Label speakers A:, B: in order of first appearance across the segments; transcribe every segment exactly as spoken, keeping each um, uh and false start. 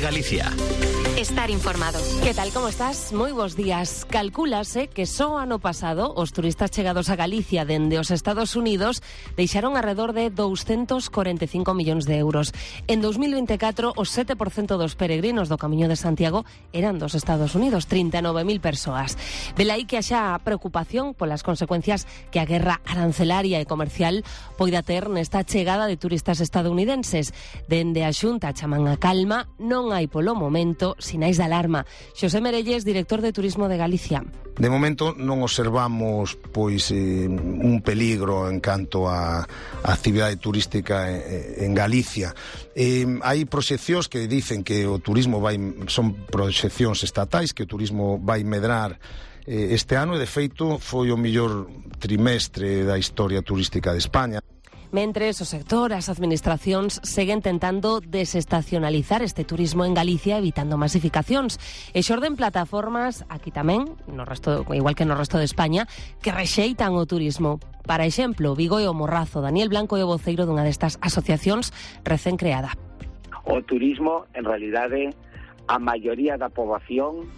A: Galicia.
B: Estar informado.
C: Que tal, como estás? Moi bons días. Calcúlase que só ano pasado os turistas chegados a Galicia dende os Estados Unidos deixaron alrededor de doscientos cuarenta e cinco millóns de euros. En dos mil veinticuatro, o sete por cento dos peregrinos do Camiño de Santiago eran dos Estados Unidos, trinta e nove mil persoas. Velaí que haxa preocupación polas consecuencias que a guerra arancelaria e comercial poida ter nesta chegada de turistas estadounidenses. Dende a Xunta chaman a calma, non hai polo momento sinais de alarma. Xosé Merelles, director de Turismo de Galicia.
D: De momento non observamos pois eh, un peligro en canto a, a actividade turística en, en Galicia. Eh, hai proxeccións que dicen que o turismo vai, son proxeccións estatais, que o turismo vai medrar eh, este ano, e de feito foi o mellor trimestre da historia turística de España.
C: Mentres o sector, as administracións seguen tentando desestacionalizar este turismo en Galicia evitando masificacións e xorden plataformas aquí tamén, no resto, igual que no resto de España, que rexeitan o turismo. Para exemplo, Vigo e o Morrazo. Daniel Blanco é o voceiro dunha destas asociacións recén creada.
E: O turismo, en realidade, a maioría da poboación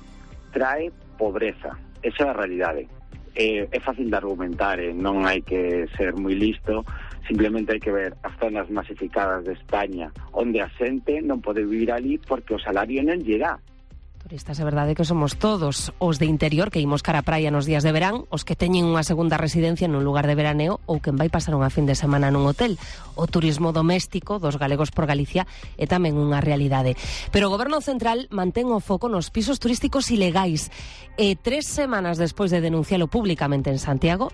E: trae pobreza. Esa é a realidade. É, é fácil de argumentar, eh? Non hai que ser moi listo. Simplemente hai que ver as zonas masificadas de España onde a xente non pode vivir ali porque o salario non llega.
C: Turistas, é verdade que somos todos os de interior que imos cara a praia nos días de verán, os que teñen unha segunda residencia nun lugar de veraneo ou quen vai pasar unha fin de semana nun hotel. O turismo doméstico dos galegos por Galicia é tamén unha realidade. Pero o Goberno Central mantén o foco nos pisos turísticos ilegais. E tres semanas despois de denuncialo públicamente en Santiago,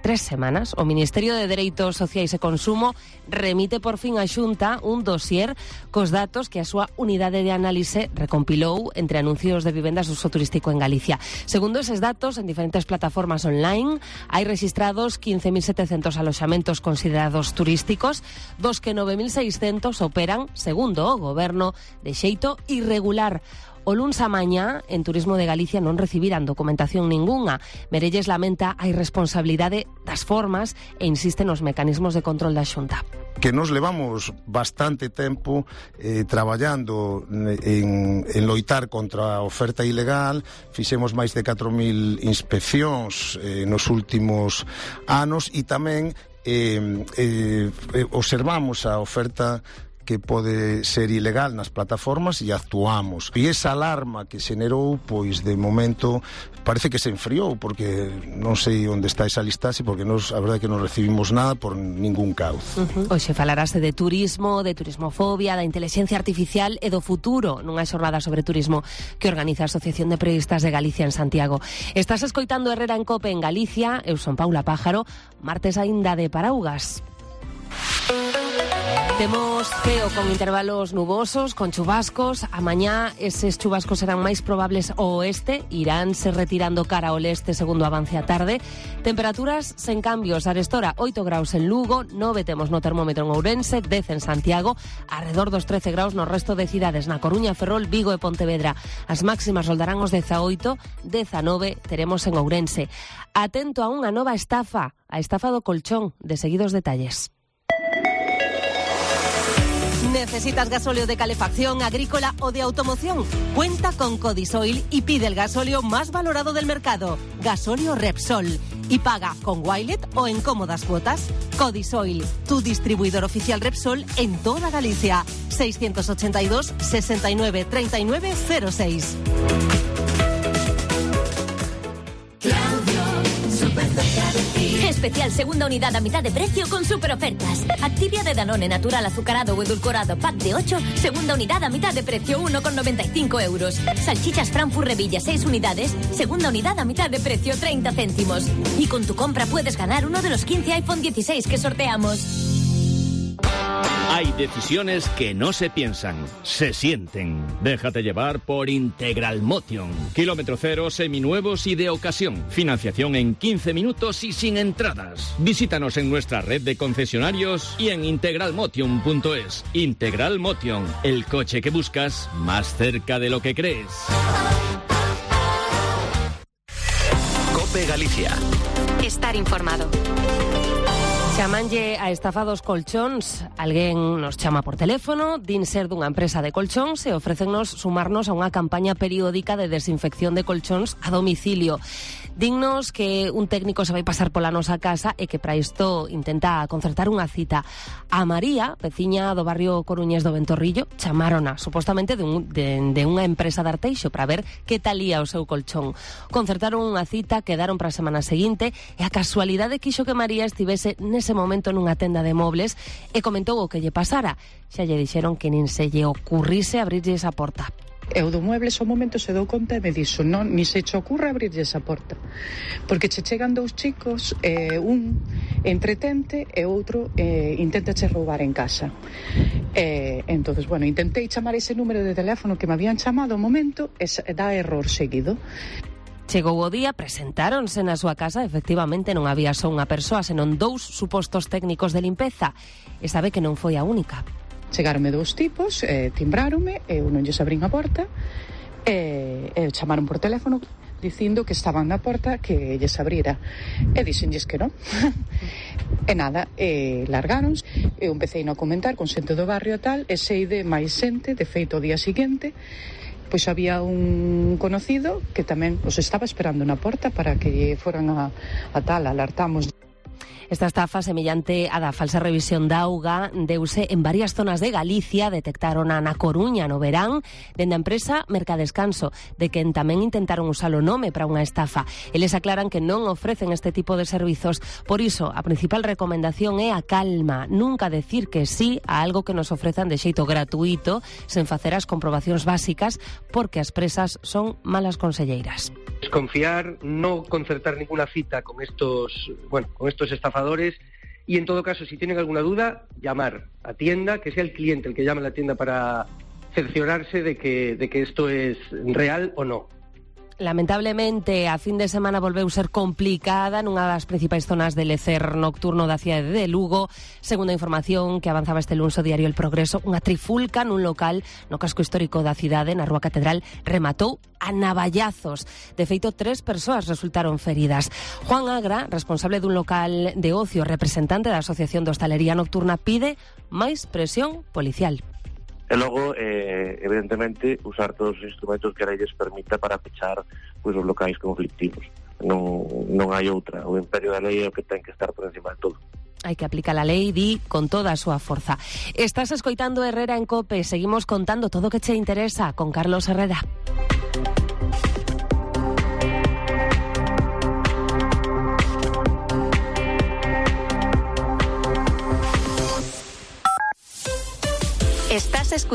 C: Tres semanas, o Ministerio de Dereitos Sociais e Consumo remite por fin á Xunta un dossier cos datos que a súa unidade de análise recompilou entre anuncios de vivendas de uso turístico en Galicia. Segundo eses datos, en diferentes plataformas online hai registrados quince mil setecentos aloxamentos considerados turísticos, dos que nove mil seiscentos operan, segundo o Goberno, de xeito irregular. O luns a mañá, en Turismo de Galicia non recibirán documentación ningunha. Merelles lamenta a irresponsabilidade das formas e insiste nos mecanismos de control da Xunta.
D: Que nos levamos bastante tempo eh, traballando en, en loitar contra a oferta ilegal. Fixemos máis de catro mil inspeccións eh, nos últimos anos e tamén eh, eh, observamos a oferta que pode ser ilegal nas plataformas e actuamos. E esa alarma que xenerou, pois de momento parece que se enfriou, porque non sei onde está esa listaxe, porque nos, a verdade é que non recibimos nada por ningún cauce.
C: Uh-huh. Hoxe falarase de turismo, de turismofobia, da inteligencia artificial e do futuro nunha xornada sobre turismo que organiza a Asociación de Periodistas de Galicia en Santiago. Estás escoitando Herrera en Cope en Galicia. Eu son Paula Pájaro, martes aínda de paraugas. Temos ceo con intervalos nubosos, con chubascos. A mañá eses chubascos serán máis probables ao oeste, iránse retirando cara ao leste segundo avance a tarde. Temperaturas sen cambios. Arestora, oito graus en Lugo, nove temos no termómetro en Ourense, dez en Santiago, alrededor dos trece graus no resto de cidades, na Coruña, Ferrol, Vigo e Pontevedra. As máximas roldarán os dezaoito, dezanove teremos en Ourense. Atento a unha nova estafa, a estafa do colchón. De seguidos detalles.
F: ¿Necesitas gasóleo de calefacción, agrícola o de automoción? Cuenta con Codisoil y pide el gasóleo más valorado del mercado, gasóleo Repsol. Y paga con Wilet o en cómodas cuotas. Codisoil, tu distribuidor oficial Repsol en toda Galicia. seiscientos ochenta y dos, sesenta y nueve, treinta y nueve, cero seis.
G: Especial segunda unidad a mitad de precio con super ofertas. Activia de Danone natural azucarado o edulcorado pack de ocho, segunda unidad a mitad de precio, uno con noventa y cinco euros. Salchichas Frankfurt Revilla seis unidades, segunda unidad a mitad de precio, treinta céntimos. Y con tu compra puedes ganar uno de los quince iPhone dieciséis que sorteamos.
A: Hay decisiones que no se piensan, se sienten. Déjate llevar por Integral Motion. Kilómetro cero, seminuevos y de ocasión. Financiación en quince minutos y sin entradas. Visítanos en nuestra red de concesionarios y en integral motion punto es. Integral Motion, el coche que buscas más cerca de lo que crees.
B: Cope Galicia. Estar informado.
C: Se Chamanlle a estafa dos colchóns. Alguén nos chama por teléfono, din ser dunha empresa de colchóns e ofrécennos sumarnos a unha campaña periódica de desinfección de colchóns a domicilio. Dignos que un técnico se vai pasar pola nosa casa e que para isto intenta concertar unha cita. A María, veciña do barrio coruñés do Ventorrillo, chamárona supostamente de, un, de, de unha empresa de Arteixo para ver que tal ía o seu colchón. Concertaron unha cita, quedaron para a semana seguinte e a casualidade quixo que María estivese nese momento nunha tenda de mobles e comentou o que lle pasara. Xa lle dixeron que nin se lle ocurrise abrirlle esa porta.
H: E o do muebles ao momento se dou conta e me dixo, non, ni se che ocurre abrirlle esa porta, porque che chegan dous chicos, eh, un entretente e outro eh, intenta che roubar en casa. Eh, entonces, bueno, intentei chamar ese número de teléfono que me habían chamado ao momento e dá error seguido.
C: Chegou o día, presentáronse na súa casa, efectivamente non había só unha persoa, senón dous supostos técnicos de limpeza, e sabe que non foi a única.
H: Chegaronme dous tipos, eh, timbráronme, eu non lles abrín a porta, e eh, eh, chamaron por teléfono dicindo que estaban na porta que lles abrira. E dixenlles que non. E nada, e largáronse, eu empecei a comentar con xente do barrio e tal, e sei de máis xente, de feito o día seguinte, pois había un conocido que tamén os estaba esperando na porta para que foran a, a tal, alertamos.
C: Esta estafa, semellante a da falsa revisión da auga, deuse en varias zonas de Galicia, detectaron a na Coruña no verán, dende a empresa Mercadescanso, de quen tamén intentaron usar o nome para unha estafa. Eles aclaran que non ofrecen este tipo de servizos, por iso a principal recomendación é a calma, nunca decir que sí a algo que nos ofrezan de xeito gratuito, sen facer as comprobacións básicas, porque as presas son malas conselleiras.
I: Desconfiar, no concertar ninguna cita con estos, bueno, con estos estafadores y en todo caso, si tienen alguna duda, llamar a tienda, que sea el cliente el que llame a la tienda para cerciorarse de que, de que esto es real o no.
C: Lamentablemente, a fin de semana volveu ser complicada nunha das principais zonas de lecer nocturno da cidade de Lugo. Segundo a información que avanzaba este luns o diario El Progreso, unha trifulca nun local no casco histórico da cidade, na Rúa Catedral, rematou a navallazos. De feito, tres persoas resultaron feridas. Juan Agra, responsable dun local de ocio, representante da Asociación de Hostalería Nocturna, pide máis presión policial.
J: E logo, eh, evidentemente, usar todos os instrumentos que a lei les permita para pechar pois, os locais conflictivos. Non, non hai outra. O imperio da lei é o que ten que estar por encima de todo.
C: Hai que aplicar a lei, di, con toda a súa forza. Estás escoitando Herrera en COPE. Seguimos contando todo o que che interesa con Carlos Herrera.
B: Estás escuchando